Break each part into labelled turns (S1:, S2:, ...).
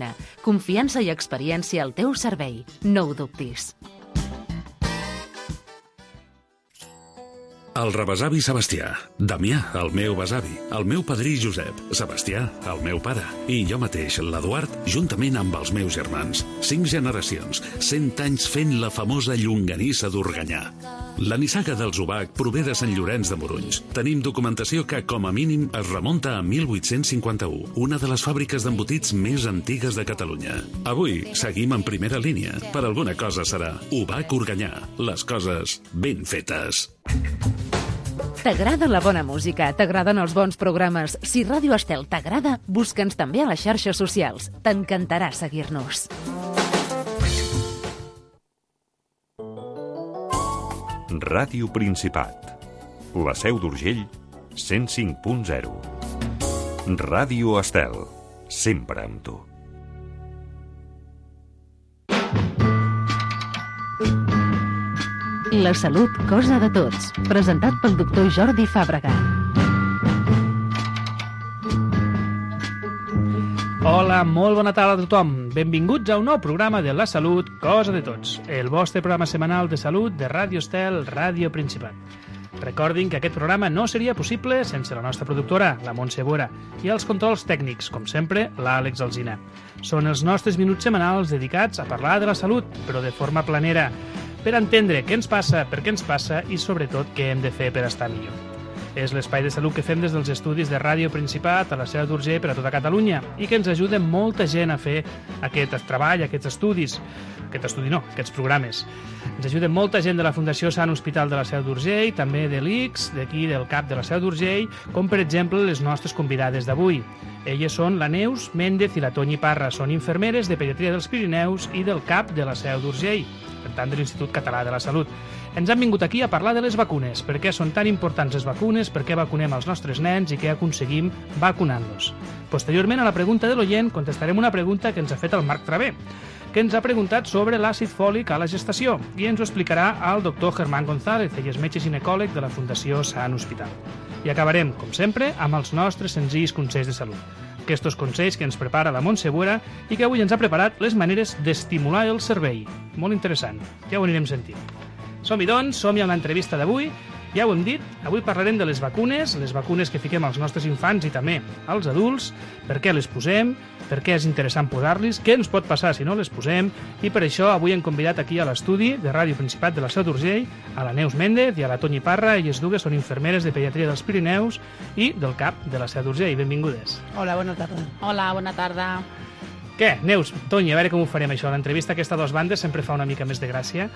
S1: Alzina. Confiança i experiència al teu servei. No ho dubtis.
S2: El rebesavi Sebastià, Damià, el meu besavi, el meu padrí Josep, Sebastià, el meu pare, i jo mateix, l'Eduard, juntament amb els meus germans. 5 generacions, 100 anys fent la famosa llonganissa d'Organyà. La nissaga dels Ubac prové de Sant Llorenç de Morunys. Tenim documentació que, com a mínim, es remunta a 1851, una de les fàbriques d'embotits més antigues de Catalunya. Avui seguim en primera línia. Per alguna cosa serà Ubac Organyà. Les coses ben fetes.
S1: T'agrada la bona música? T'agraden els bons programes? Si Ràdio Estel t'agrada, busca'ns també a les xarxes socials. T'encantarà seguir-nos.
S3: Ràdio Principat. La Seu d'Urgell, 105.0. Ràdio Estel, sempre amb tu.
S1: La salut, cosa de tots. Presentat pel doctor Jordi Fàbrega.
S4: Hola, molt bona tarda a tothom. Benvinguts a un nou programa de La Salut, cosa de tots. El vostre programa setmanal de salut de Ràdio Estel, Ràdio Principat. Recordin que aquest programa no seria possible sense la nostra productora, la Montse Bora, i els controls tècnics, com sempre, l'Àlex Alzina. Són els nostres minuts setmanals dedicats a parlar de la salut, però de forma planera, per entendre què ens passa, per què ens passa i, sobretot, què hem de fer per estar millor. És l'espai de salut que fem des dels estudis de Ràdio Principat a la Seu d'Urgell per a tota Catalunya i que ens ajuda molta gent a fer aquest treball, aquests estudis. Aquests programes. Ens ajuda molta gent de la Fundació Sant Hospital de la Seu d'Urgell, també de l'ICS, d'aquí del CAP de la Seu d'Urgell, com per exemple les nostres convidades d'avui. Elles són la Neus Méndez i la Toñi Parra. Són infermeres de Pediatria dels Pirineus i del CAP de la Seu d'Urgell, per tant de l'Institut Català de la Salut. Ens han vingut aquí a parlar de les vacunes. Per què són tan importants les vacunes, per què vacunem els nostres nens i què aconseguim vacunant-los. Posteriorment, a la pregunta de l'oient, contestarem una pregunta que ens ha fet el Marc Travé, que ens ha preguntat sobre l'àcid fòlic a la gestació i ens ho explicarà el doctor Germán González, ell és metge ginecòleg de la Fundació Sant Hospital. I acabarem, com sempre, amb els nostres senzills consells de salut. Aquests consells que ens prepara la Montse Bora i que avui ens ha preparat les maneres d'estimular el cervell. Molt interessant, ja ho anirem sentint. Som-hi doncs, som-hi a l'entrevista d'avui. Ja ho hem dit, avui parlarem de les vacunes que fiquem als nostres infants i també als adults, per què les posem, per què és interessant posar-les, què ens pot passar si no les posem, i per això avui hem convidat aquí a l'estudi de Ràdio Principat de la Seu d'Urgell a la Neus Méndez i a la Toñi Parra. Elles dues són infermeres de Pediatria dels Pirineus i del CAP de la Seu d'Urgell. Benvingudes.
S5: Hola, bona tarda.
S6: Hola, bona tarda.
S4: Què, Neus, Toñi, a veure com ho farem això. L'entrevista aquesta a dos bandes sempre fa una mica més de gràcia.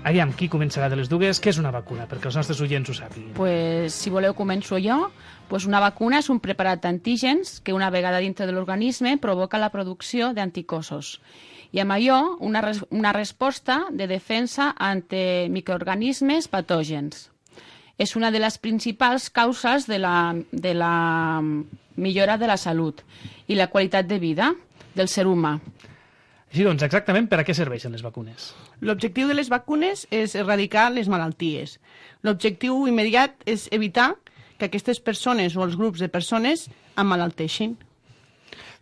S4: Aviam, qui començarà de les dues? Què és una vacuna? Perquè els nostres oients ho sàpiguin.
S6: Pues, si voleu, començo jo. Pues una vacuna és un preparat d'antígens que una vegada dintre de l'organisme provoca la producció d'anticossos. I amb allò, una resposta de defensa ante microorganismes patògens. És una de les principals causes de la millora de la salut i la qualitat de vida del ser humà.
S4: Així doncs, exactament per a què serveixen les vacunes?
S5: L'objectiu de les vacunes és erradicar les malalties. L'objectiu immediat és evitar que aquestes persones o els grups de persones emmalalteixin.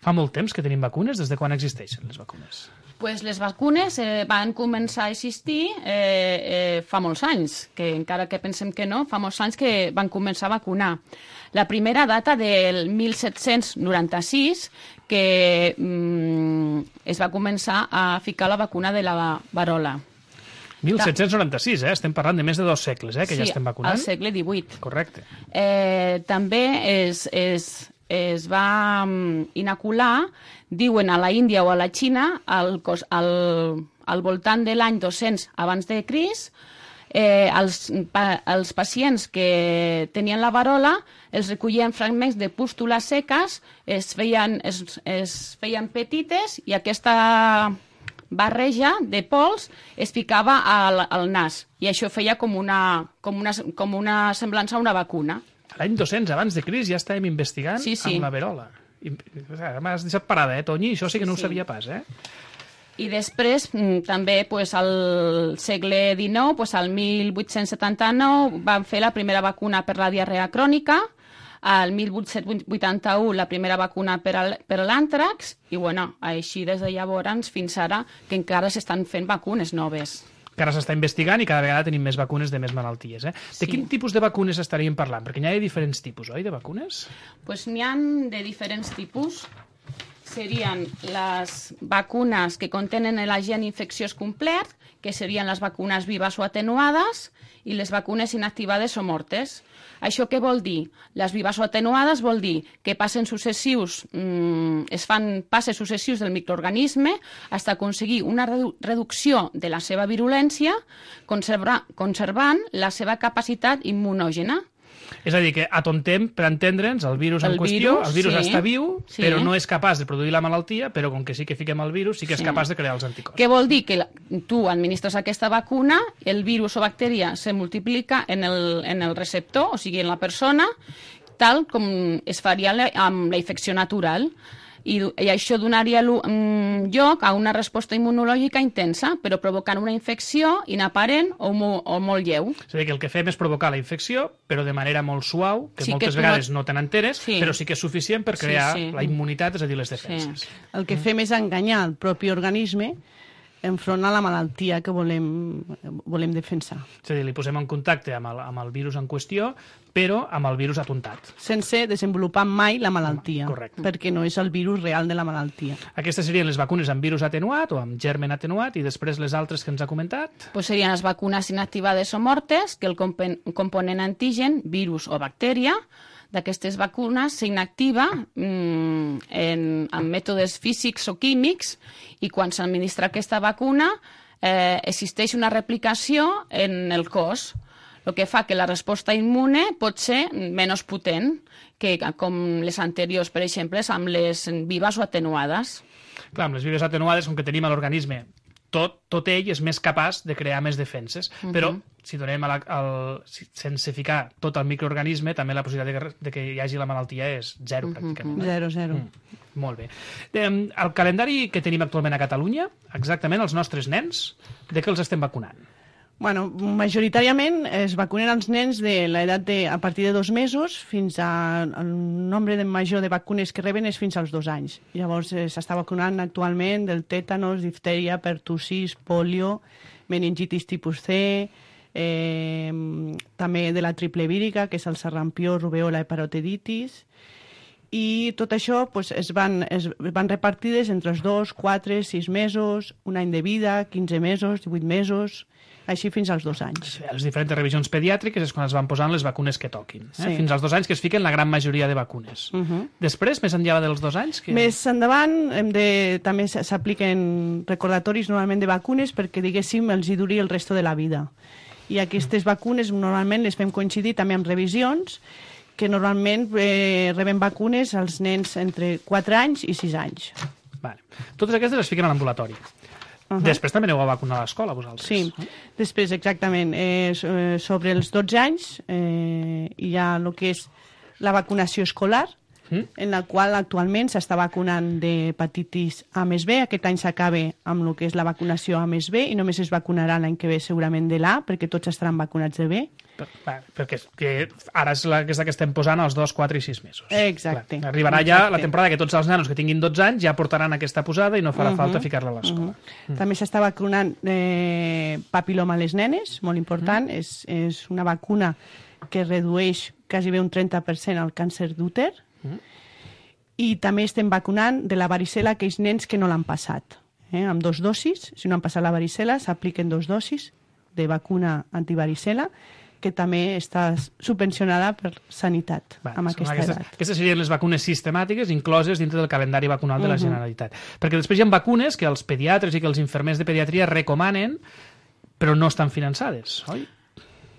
S4: Fa molt temps que tenim vacunes? Des de quan existeixen les vacunes?
S6: Pues les vacunes van començar a existir fa molts anys, que encara que pensem que no, fa molts anys que van començar a vacunar. La primera data del 1796, que es va començar a ficar la vacuna de la varola.
S4: 1796, estem parlant de més de 2 segles, que ja estem vacunant.
S6: Sí, al segle XVIII.
S4: Correcte.
S6: També es va inocular, diuen a la Índia o a la Xina, al voltant de l'any 200 abans de Crist, els pacients que tenien la varola els recollien fragments de pústules seques, es feien petites i aquesta barreja de pols es ficava al nas i això feia com una semblança a una vacuna.
S4: L'any 200 abans de Crist ja estàvem investigant amb la verola. M'has deixat parada, Toñi? Això sí que no ho sabia pas,
S6: I després, també, al segle XIX, al 1879, van fer la primera vacuna per la diarrea crònica. al 1881 la primera vacuna per a l'àntrax i, bueno, així des de llavors fins ara que encara s'estan fent vacunes noves.
S4: Que ara s'està investigant i cada vegada tenim més vacunes de més malalties. De quin tipus de vacunes estaríem parlant? Perquè n'hi ha de diferents tipus, oi, de vacunes?
S6: Doncs n'hi ha de diferents tipus. Serien les vacunes que contenen l'agent infecciós complet, que serien les vacunes vives o atenuades, i les vacunes inactivades o mortes. Això què vol dir? Les vives o atenuades vol dir que es fan passes successius del microorganisme fins a aconseguir una reducció de la seva virulència, conservant la seva capacitat immunògena.
S4: És a dir, que atontem, per entendre'ns, el virus en qüestió, el virus està viu, però no és capaç de produir la malaltia, però com que sí que fiquem el virus, sí que és capaç de crear els anticorps.
S6: Què vol dir? Que tu administres aquesta vacuna, el virus o bactèria se multiplica en el receptor, o sigui, en la persona, tal com es faria amb la infecció natural. I això donaria lloc a una resposta immunològica intensa, però provocant una infecció inaparent o molt lleu.
S4: És a dir, que el que fem és provocar la infecció, però de manera molt suau, que moltes vegades no te n'enteres, però sí que és suficient per crear la immunitat, és a dir, les defenses.
S5: El que fem és enganyar el propi organisme enfront a la malaltia que volem defensar.
S4: És a dir, li posem en contacte amb el virus en qüestió, però amb el virus apuntat.
S5: Sense desenvolupar mai la malaltia.
S4: Correcte.
S5: Perquè no és el virus real de la malaltia.
S4: Aquestes serien les vacunes amb virus atenuat o amb germen atenuat, i després les altres que ens ha comentat?
S6: Pues serien les vacunes inactivades o mortes, que el component antigen, virus o bactèria, d'aquestes vacunes s'inactiva amb mètodes físics o químics, i quan s'administra aquesta vacuna existeix una replicació en el cos, el que fa que la resposta immune pot ser menys potent que com les anteriors, per exemple, amb les vives o atenuades.
S4: Clar, amb les vives atenuades, com que tenim a l'organisme tot ell és més capaç de crear més defenses, però si donem sense ficar tot el microorganisme, també la possibilitat de que hi hagi la malaltia és zero, pràcticament.
S5: Zero.
S4: Molt bé. El calendari que tenim actualment a Catalunya, exactament els nostres nens, de què els estem vacunant?
S5: Bueno, majoritàriament es vacunen els nens de l'edat a partir de 2 mesos fins al nombre major de vacunes que reben és fins als 2 anys. Llavors s'està vacunant actualment del tètanos, diftèria, pertussis, polio, meningitis tipus C, també de la triple vírica, que és el sarampió, rubèola i paroteditis. I tot això es van repartides entre els 2, 4, 6 mesos, 1 any de vida, 15 mesos, 18 mesos, així fins als 2 anys.
S4: Les diferents revisions pediàtriques és quan es van posant les vacunes que toquin. Fins als 2 anys que es fiquen la gran majoria de vacunes. Després, més enllà dels 2 anys?
S5: Més endavant, també s'apliquen recordatoris normalment de vacunes perquè, diguéssim, els hi duri el resto de la vida. I aquestes vacunes normalment les fem coincidir també amb revisions que normalment reben vacunes als nens entre 4 anys i 6 anys.
S4: Totes aquestes es fiquen a l'ambulatori. Després també aneu a vacunar a l'escola, vosaltres.
S5: Sí, després, exactament. Sobre els 12 anys hi ha el que és la vacunació escolar, en la qual actualment s'està vacunant d'hepatitis A més B. Aquest any s'acaba amb el que és la vacunació A més B i només es vacunarà l'any que ve segurament de l'A, perquè tots estaran vacunats de B.
S4: Perquè ara és aquesta que estem posant als 2, 4 i 6 mesos.
S5: Exacte.
S4: Arribarà ja la temporada que tots els nanos que tinguin 12 anys ja portaran aquesta posada i no farà falta ficar-la a l'escola.
S5: També s'està vacunant papiloma a les nenes, molt important. És una vacuna que redueix quasi bé un 30% el càncer d'úter. I també estem vacunant de la varicel·la aquells nens que no l'han passat. Amb 2 dosis, si no han passat la varicel·la, s'apliquen 2 dosis de vacuna antivaricel·la, que també està subvencionada per Sanitat amb aquesta edat.
S4: Aquestes serien les vacunes sistemàtiques incloses dintre del calendari vacunal de la Generalitat. Perquè després hi ha vacunes que els pediatres i que els infermers de pediatria recomanen, però no estan finançades, oi?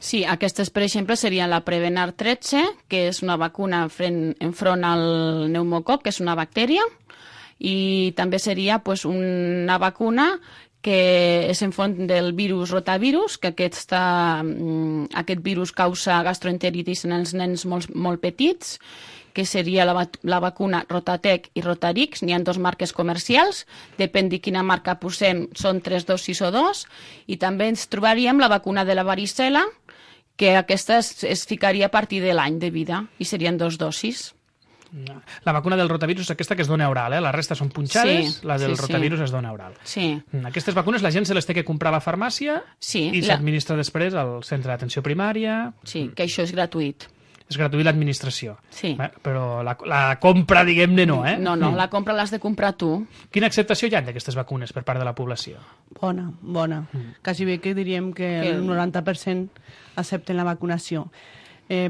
S6: Sí, aquestes, per exemple, serien la Prevenar 13, que és una vacuna enfront al pneumococ, que és una bactèria, i també seria una vacuna que és enfront del virus rotavirus, que aquest virus causa gastroenteritis en els nens molt petits, que seria la vacuna Rotatec i Rotarix. N'hi ha 2 marques comercials, depèn de quina marca posem, són 3 dosis o 2, i també ens trobaríem la vacuna de la varicel·la, que aquesta es ficaria a partir de l'any de vida i serien 2 dosis.
S4: La vacuna del rotavirus és aquesta que es dona oral, la resta són punxades,
S6: Sí,
S4: la del
S6: sí,
S4: rotavirus es dona oral.
S6: Sí.
S4: Aquestes vacunes la gent se les té que comprar a la farmàcia i
S6: la-
S4: s'administra després al centre d'atenció primària.
S6: Sí, que això és gratuït.
S4: És gratuït l'administració.
S6: Sí.
S4: Però la compra, diguem-ne, no, eh?
S6: No, la compra l'has de comprar tu.
S4: Quina acceptació hi ha d'aquestes vacunes per part de la població?
S5: Bona. Quasi bé que diríem que el 90% accepten la vacunació.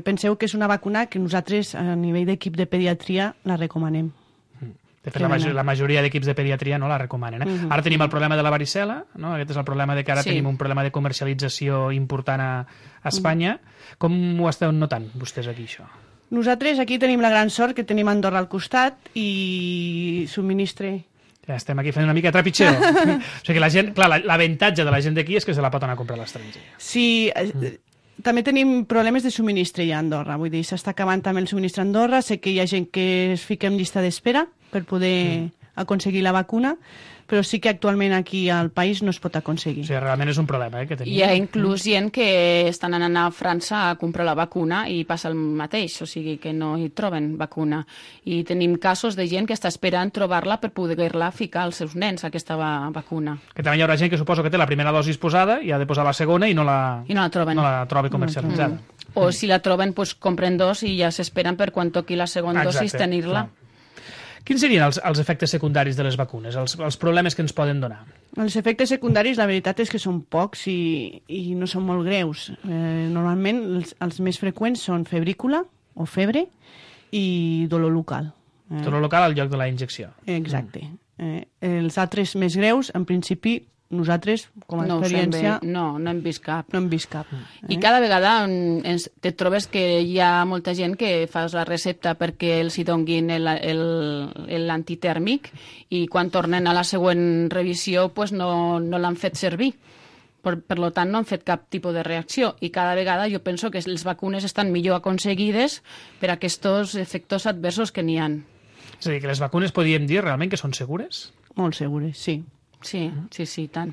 S5: Penseu que és una vacuna que nosaltres, a nivell d'equip de pediatria, la recomanem.
S4: De fet, la majoria d'equips de pediatria no la recomanen. Ara tenim el problema de la varicel·la, no? Aquest és el problema de que ara tenim un problema de comercialització important a Espanya. Com ho esteu notant, vostès, aquí, això?
S5: Nosaltres aquí tenim la gran sort que tenim Andorra al costat i subministre...
S4: Ja estem aquí fent una mica de trepitxeo. O sigui que la gent, clar, l'avantatge de la gent d'aquí és que se la pot anar a comprar a l'estranger.
S5: Sí, també tenim problemes de subministre ja a Andorra. Vull dir, s'està acabant també el subministre a Andorra. Sé que hi ha gent que es fica en llista d'espera per poder aconseguir la vacuna, però sí que actualment aquí al país no es pot aconseguir.
S4: O sigui, realment és un problema que tenim.
S6: Hi ha inclús gent que estan anant a França a comprar la vacuna i passa el mateix, o sigui que no hi troben vacuna. I tenim casos de gent que està esperant trobar-la per poder-la ficar als seus nens, aquesta vacuna.
S4: Que també hi haurà gent que suposo que té la primera dosi posada i ha de posar la segona i no la
S6: troben.
S4: No la trobi comercialitzada.
S6: O si la troben, pues, compren 2 i ja s'esperen per quan toqui la segona dosis tenir-la.
S4: Clar. Quins serien els efectes secundaris de les vacunes, els problemes que ens poden donar?
S5: Els efectes secundaris, la veritat és que són pocs i no són molt greus. Normalment els més freqüents són febrícula o febre i dolor local.
S4: Dolor local al lloc de la injecció.
S5: Exacte. Els altres més greus, en principi, nosaltres, com a experiència...
S6: No hem vist cap.
S5: No hem vist cap.
S6: I cada vegada te trobes que hi ha molta gent que fas la recepta perquè els hi donguin l'antitèrmic i quan tornen a la següent revisió pues no l'han fet servir. Per tant, no han fet cap tipus de reacció i cada vegada jo penso que les vacunes estan millor aconseguides per aquests efectes adversos que n'hi ha.
S4: És a dir, que les vacunes podríem dir realment que són segures?
S5: Molt segures, sí.
S6: Sí, tant.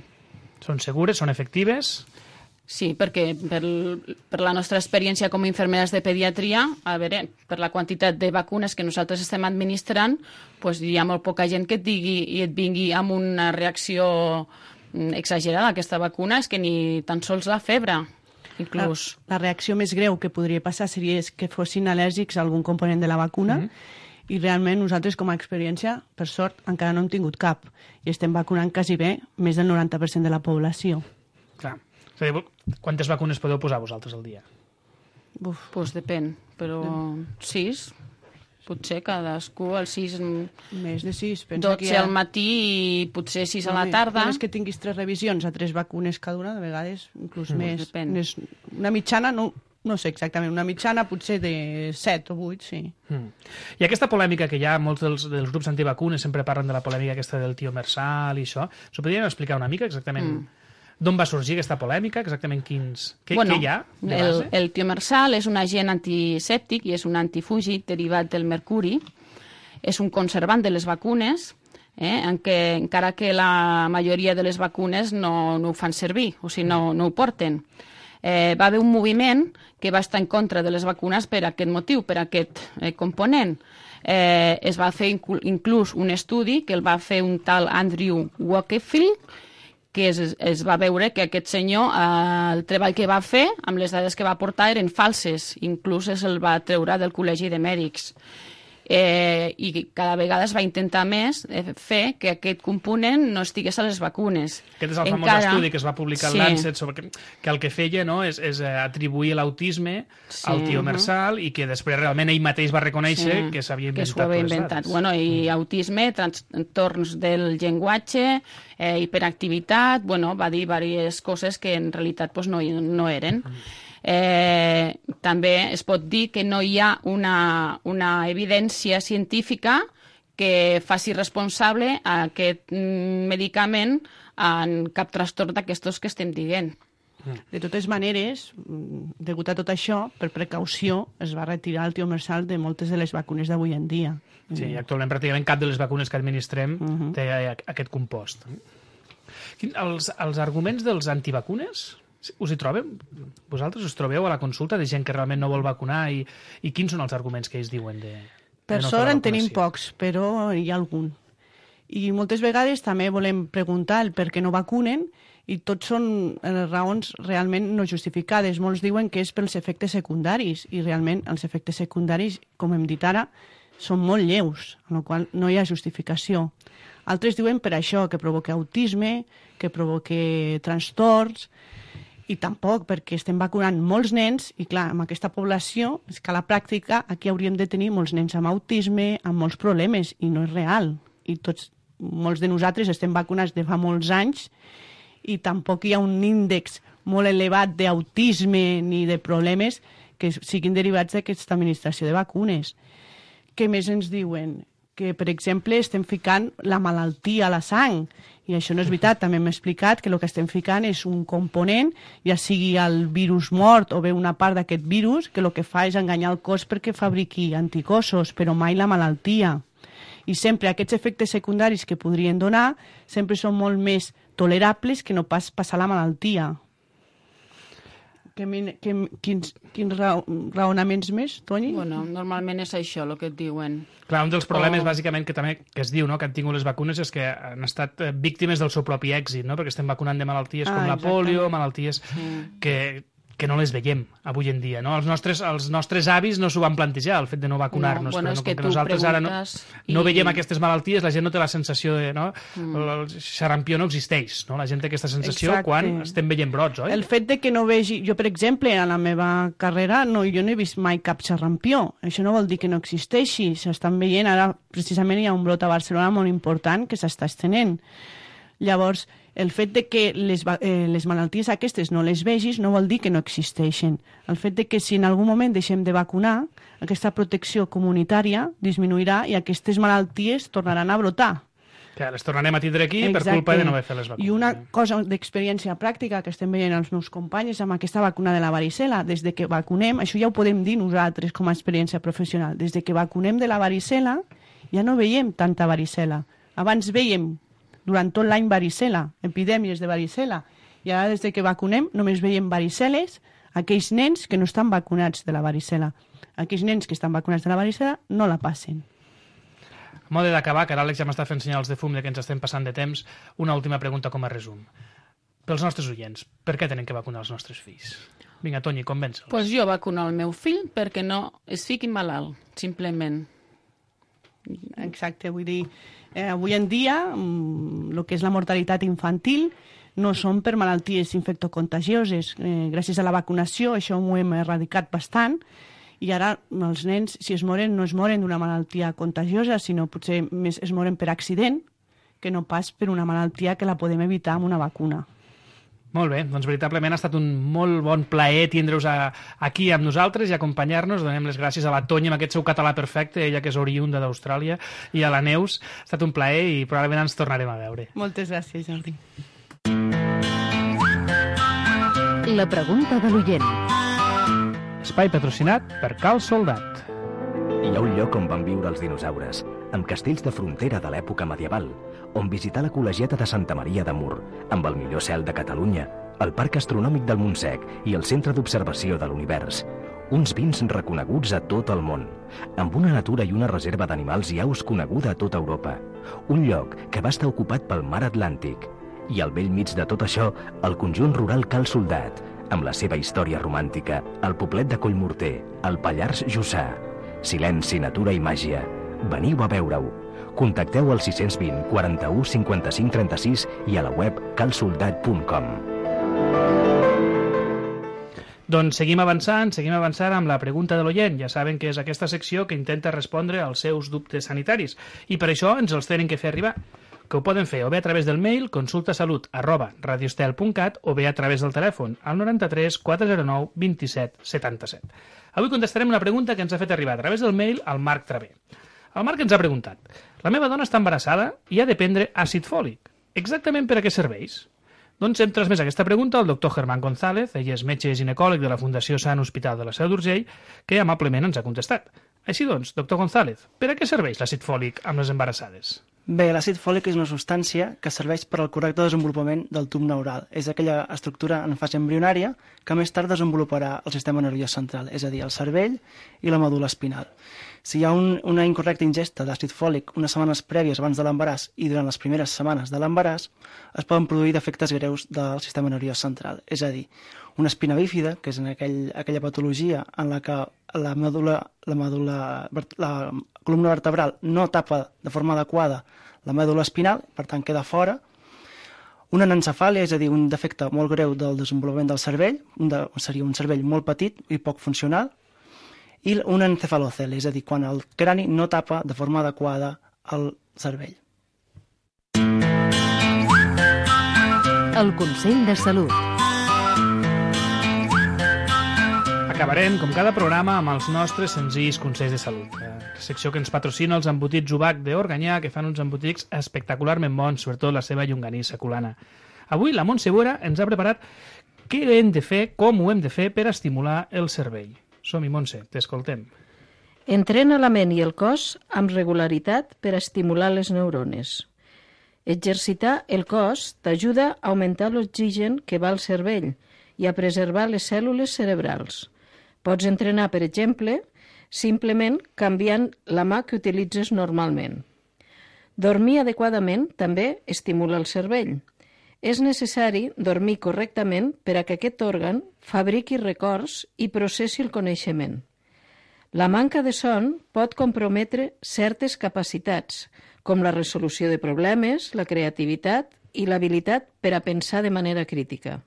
S4: Són segures, són efectives?
S6: Sí, perquè per la nostra experiència com a infermeres de pediatria, a veure, per la quantitat de vacunes que nosaltres estem administrant, pues hi ha molt poca gent que et digui i et vingui amb una reacció exagerada. Aquesta vacuna és que ni tan sols la febre, inclús.
S5: La reacció més greu que podria passar seria que fossin al·lèrgics a algun component de la vacuna, i realment nosaltres com a experiència, per sort, encara no hem tingut cap i estem vacunant quasi bé més del 90% de la població.
S4: Clar. És a dir, quantes vacunes podeu posar vosaltres al dia?
S6: Pues depèn, però 6, potser cadascú, el 6...
S5: Més de 6.
S6: 12 al matí i potser 6 a la tarda.
S5: Només que tinguis 3 revisions a 3 vacunes cada una, de vegades, inclús més.
S6: Depèn.
S5: Una mitjana, no sé exactament, una mitjana potser de 7 o 8, sí.
S4: I aquesta polèmica que hi ha, molts dels grups antivacunes sempre parlen de la polèmica aquesta del tio Mersal i això, s'ho podríem explicar una mica exactament d'on va sorgir aquesta polèmica, exactament què hi ha de base?
S6: El tio Mersal és un agent antisèptic i és un antifúgid derivat del mercuri, és un conservant de les vacunes, encara que la majoria de les vacunes no ho fan servir, o sigui, no ho porten. Va haver un moviment que va estar en contra de les vacunes per aquest motiu, per aquest component. Es va fer inclús un estudi que el va fer un tal Andrew Wakefield, que es va veure que aquest senyor, el treball que va fer, amb les dades que va portar, eren falses. Inclús el va treure del Col·legi de Mèdics. I cada vegada es va intentar més fer que aquest component no estigués a les vacunes.
S4: Aquest és el famós estudi que es va publicar al Lancet sobre que el que feia és atribuir l'autisme al tio Mersal i que després realment ell mateix va reconèixer que s'havia inventat.
S6: Bueno, i autisme, trastorns del llenguatge, hiperactivitat, va dir diverses coses que en realitat no eren. També es pot dir que no hi ha una evidència científica que faci responsable a aquest medicament en cap trastorn d'aquestos que estem dient.
S5: De totes maneres, degut a tot això, per precaució, es va retirar el tio Mersal de moltes de les vacunes d'avui en dia.
S4: Sí, actualment pràcticament cap de les vacunes que administrem té aquest compost. Els arguments dels antivacunes Us hi trobeu? Vosaltres us trobeu a la consulta de gent que realment no vol vacunar i quins són els arguments que ells diuen de
S5: Per
S4: no fer
S5: sort
S4: la
S5: en tenim
S4: vacunació?
S5: pocs, però hi ha algun. I moltes vegades també volem preguntar el per què no vacunen i tots són raons realment no justificades. Molts diuen que és pels efectes secundaris i realment els efectes secundaris, com hem dit ara, són molt lleus, amb la qual no hi ha justificació. Altres diuen per això, que provoca autisme, que provoca trastorns, i tampoc, perquè estem vacunant molts nens, i clar, amb aquesta població, és que a la pràctica aquí hauríem de tenir molts nens amb autisme, amb molts problemes, i no és real. I molts de nosaltres estem vacunats de fa molts anys, i tampoc hi ha un índex molt elevat d'autisme ni de problemes que siguin derivats d'aquesta administració de vacunes. Què més ens diuen? Que, per exemple, estem ficant la malaltia a la sang, i això no és veritat. També hem explicat que el que estem ficant és un component, ja sigui el virus mort o bé una part d'aquest virus, que el que fa és enganyar el cos perquè fabriqui anticossos, però mai la malaltia. I sempre aquests efectes secundaris que podrien donar sempre són molt més tolerables que no pas passar la malaltia. Quins raonaments més, Toni?
S6: Bueno, normalment és això el que et diuen.
S4: Clar, un dels problemes, bàsicament, que es diu, no?, que han tingut les vacunes és que han estat víctimes del seu propi èxit, no?, perquè estem vacunant de malalties com la polio, malalties que no les veiem avui en dia, no? Els nostres avis no s'ho van plantejar, el fet de no vacunar-nos,
S6: bueno,
S4: però
S6: és que
S4: com que nosaltres ara no veiem aquestes malalties, la gent no té la sensació de, no? El xarampió no existeix, no? La gent té aquesta sensació quan estem veient brots, oi?
S5: El fet de que no vegi... Jo, per exemple, a la meva carrera, jo no he vist mai cap xarampió. Això no vol dir que no existeixi. S'estan veient, ara precisament hi ha un brot a Barcelona molt important que s'està estenent. Llavors, el fet de que les malalties aquestes no les vegis no vol dir que no existeixen. El fet de que si en algun moment deixem de vacunar, aquesta protecció comunitària disminuirà i aquestes malalties tornaran a brotar.
S4: Que les tornarem a tindre aquí per culpa de no haver fet les vacunes.
S5: I una cosa d'experiència pràctica que estem veient els meus companys amb aquesta vacuna de la varicela. Des de que vacunem, això ja ho podem dir nosaltres com a experiència professional, des de que vacunem de la varicela ja no veiem tanta varicela. Abans veiem durant tot l'any varicela, epidèmies de varicela, i ara des que vacunem només veiem variceles aquells nens que no estan vacunats de la varicela. Aquells nens que estan vacunats de la varicela no la passen.
S4: A mode d'acabar, que ara l'Àlex ja m'està fent senyals de fum de que ens estem passant de temps, una última pregunta com a resum. Pels nostres oients, per què tenen que vacunar els nostres fills? Vinga, Toni, convença'ls.
S6: Pues jo vacuno el meu fill perquè no es fiqui malalt, simplement.
S5: Exacte, vull dir, avui en dia el que és la mortalitat infantil no són per malalties infectocontagioses. Gràcies a la vacunació això ho hem erradicat bastant i ara els nens, si es moren, no es moren d'una malaltia contagiosa, sinó potser més es moren per accident que no pas per una malaltia que la podem evitar amb una vacuna.
S4: Molt bé, doncs veritablement ha estat un molt bon plaer tindre-us aquí amb nosaltres i acompanyar-nos. Donem les gràcies a la Toni amb aquest seu català perfecte, ella que és oriunda d'Austràlia, i a la Neus. Ha estat un plaer i probablement ens tornarem a veure.
S5: Moltes gràcies, Jordi.
S1: La pregunta de l'oient.
S4: Espai patrocinat per Cal Soldat.
S7: Hi ha un lloc on van viure els dinosaures, amb castells de frontera de l'època medieval, on visitar la col·legiata de Santa Maria de Mur, amb el millor cel de Catalunya, el Parc Astronòmic del Montsec i el Centre d'Observació de l'Univers. Uns vins reconeguts a tot el món, amb una natura i una reserva d'animals i aus coneguda a tota Europa. Un lloc que va estar ocupat pel mar Atlàntic. I al bell mig de tot això, el conjunt rural Cal Soldat, amb la seva història romàntica, el poblet de Collmorter, el Pallars Jussà. Silenci, natura i màgia. Veniu a veure-ho. Contacteu al 620 41 55 36 i a la web calsoldat.com.
S4: Doncs seguim avançant amb la pregunta de l'oient. Ja saben que és aquesta secció que intenta respondre als seus dubtes sanitaris i per això ens els tenen que fer arribar. Que ho poden fer o bé a través del mail consultasalut@radiostel.cat o bé a través del telèfon al 93 409 27 77. Avui contestarem una pregunta que ens ha fet arribar a través del mail al Marc Travé. El Marc ens ha preguntat: la meva dona està embarassada i ha de prendre àcid fòlic. Exactament per a què serveix? Doncs hem transmès aquesta pregunta al doctor Germán González, ell és metge ginecòleg de la Fundació Sant Hospital de la Seu d'Urgell, que amablement ens ha contestat. Així doncs, doctor González, per a què serveix l'àcid fòlic amb les embarassades?
S8: Bé, l'àcid fòlic és una substància que serveix per al correcte desenvolupament del tub neural. És aquella estructura en fase embrionària que més tard desenvoluparà el sistema nerviós central, és a dir, el cervell i la medul·la espinal. Si hi ha una incorrecta ingesta d'àcid fòlic unes setmanes prèvies abans de l'embaràs i durant les primeres setmanes de l'embaràs, es poden produir defectes greus del sistema nerviós central. És a dir, una espina bífida, que és en aquella patologia en la que la columna vertebral no tapa de forma adequada la medul·la espinal, per tant queda fora. Una anencefàlia, és a dir, un defecte molt greu del desenvolupament del cervell, seria un cervell molt petit i poc funcional, i un encefalocele, és a dir, quan el crani no tapa de forma adequada el cervell.
S1: El Consell de Salut.
S4: Acabarem, com cada programa, amb els nostres senzills consells de salut. La secció que ens patrocina els embotits Ubac d'Organyà, que fan uns embotics espectacularment bons, sobretot la seva llonganissa culana. Avui la Montse Boera ens ha preparat què hem de fer, com ho hem de fer per estimular el cervell. Som-hi, Montse, t'escoltem.
S9: Entrena la ment i el cos amb regularitat per estimular les neurones. Exercitar el cos t'ajuda a augmentar l'oxigen que va al cervell i a preservar les cèl·lules cerebrals. Pots entrenar, per exemple, simplement canviant la mà que utilitzes normalment. Dormir adequadament també estimula el cervell. És necessari dormir correctament per a que aquest òrgan fabriqui records i processi el coneixement. La manca de son pot comprometre certes capacitats, com la resolució de problemes, la creativitat i l'habilitat per a pensar de manera crítica.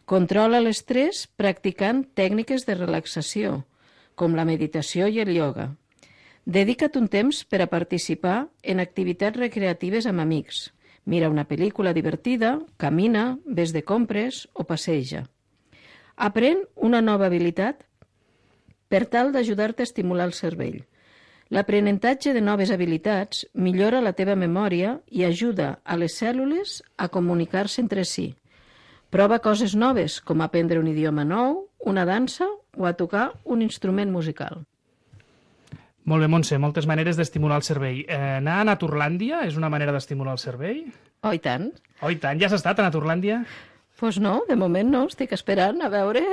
S9: Controla l'estrès practicant tècniques de relaxació, com la meditació i el ioga. Dedica't un temps per a participar en activitats recreatives amb amics. Mira una pel·lícula divertida, camina, ves de compres o passeja. Aprèn una nova habilitat per tal d'ajudar-te a estimular el cervell. L'aprenentatge de noves habilitats millora la teva memòria i ajuda a les cèl·lules a comunicar-se entre si. Prova coses noves, com aprendre un idioma nou, una dansa o a tocar un instrument musical.
S4: Molt bé, Montse, moltes maneres d'estimular el cervell. Anar a Naturlàndia és una manera d'estimular el cervell?
S9: Oh, i tant.
S4: Oh, i tant. Ja has estat a Naturlàndia?
S9: Pues no, de moment no. Estic esperant a veure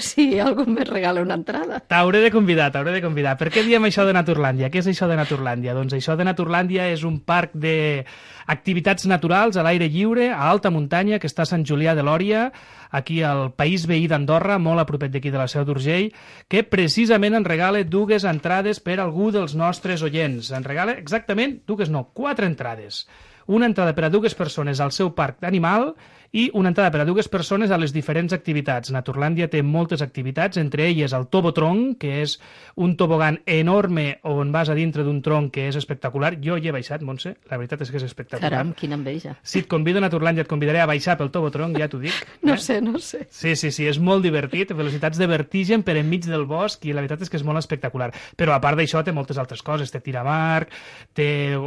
S9: si algú me regala una entrada.
S4: T'hauré de convidar. Per què diem això de Naturlàndia? Què és això de Naturlàndia? Doncs això de Naturlàndia és un parc d'activitats naturals a l'aire lliure, a alta muntanya, que està a Sant Julià de Lòria, aquí al país veí d'Andorra, molt a propet d'aquí de la Seu d'Urgell, que precisament ens regala 2 entrades per a algú dels nostres oients. Ens regala exactament 4 entrades. Una entrada per a 2 persones al seu parc d'animal i una entrada per a 2 persones a les diferents activitats. Naturlàndia té moltes activitats, entre elles el tobotronc, que és un tobogan enorme on vas a dintre d'un tronc que és espectacular. Jo hi he baixat, Montse, la veritat és que és espectacular.
S9: Caram, quina enveja.
S4: Si et convido a Naturlàndia et convidaré a baixar pel tobotronc, ja t'ho dic.
S9: No sé.
S4: Sí, és molt divertit, velocitats de vertigen per enmig del bosc i la veritat és que és molt espectacular. Però a part d'això té moltes altres coses, té tiramarc, té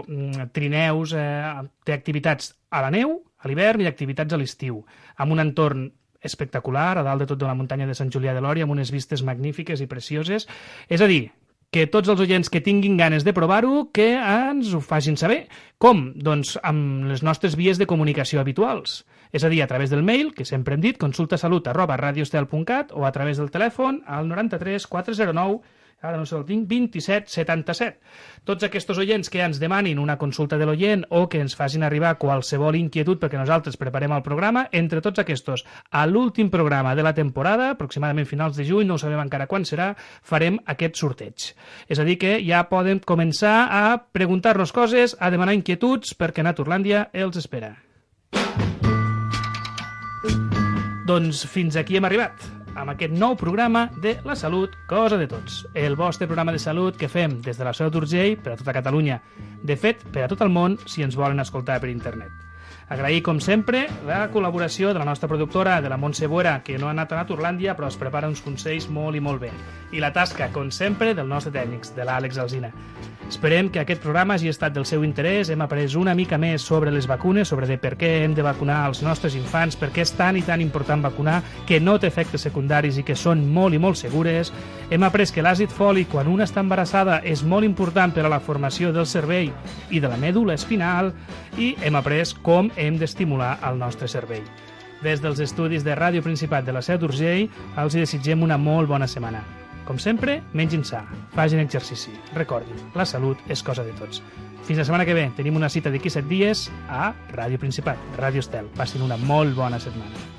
S4: trineus, té activitats a la neu, a l'hivern i activitats a l'estiu, amb un entorn espectacular, a dalt de tot de la muntanya de Sant Julià de Lòria, amb unes vistes magnífiques i precioses. És a dir, que tots els oients que tinguin ganes de provar-ho, que ens ho facin saber. Com? Doncs amb les nostres vies de comunicació habituals. És a dir, a través del mail, que sempre hem dit, consultasalut@radioestel.cat, o a través del telèfon al 93 409 ara no sé el tinc, 27 77. Tots aquests oients que ens demanin una consulta de l'oient o que ens facin arribar qualsevol inquietud perquè nosaltres preparem el programa, entre tots aquests, a l'últim programa de la temporada, aproximadament finals de juny, no ho sabem encara quan serà, farem aquest sorteig. És a dir que ja poden començar a preguntar-nos coses, a demanar inquietuds, perquè Naturlàndia els espera. Doncs fins aquí hem arribat, amb aquest nou programa de La Salut, Cosa de Tots. El vostre programa de salut que fem des de la Seu d'Urgell per a tota Catalunya. De fet, per a tot el món, si ens volen escoltar per internet. Agrair, com sempre, la col·laboració de la nostra productora, de la Montse Buera, que no ha anat a Naturlàndia, però es prepara uns consells molt i molt bé. I la tasca, com sempre, del nostre tècnic, de l'Àlex Alsina. Esperem que aquest programa hagi estat del seu interès. Hem après una mica més sobre les vacunes, sobre de per què hem de vacunar els nostres infants, per què és tan i tan important vacunar, que no té efectes secundaris i que són molt i molt segures. Hem après que l'àcid fòlic, quan una està embarassada, és molt important per a la formació del cervell i de la mèdula espinal, i hem après com hem d'estimular el nostre cervell. Des dels estudis de Ràdio Principat de la Seu d'Urgell, els desitgem una molt bona setmana. Com sempre, mengin sa, facin exercici. Recordin, la salut és cosa de tots. Fins la setmana que ve. Tenim una cita d'aquí 7 dies a Ràdio Principat, Ràdio Estel. Passin una molt bona setmana.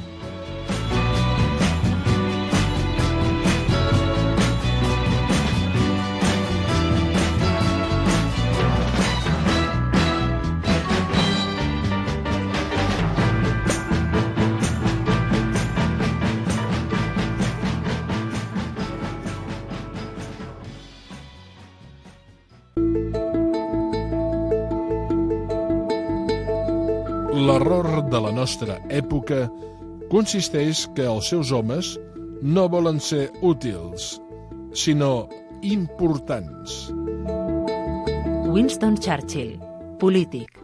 S10: L'error de la nostra època consisteix que els seus homes no volen ser útils, sinó importants.
S1: Winston Churchill, polític.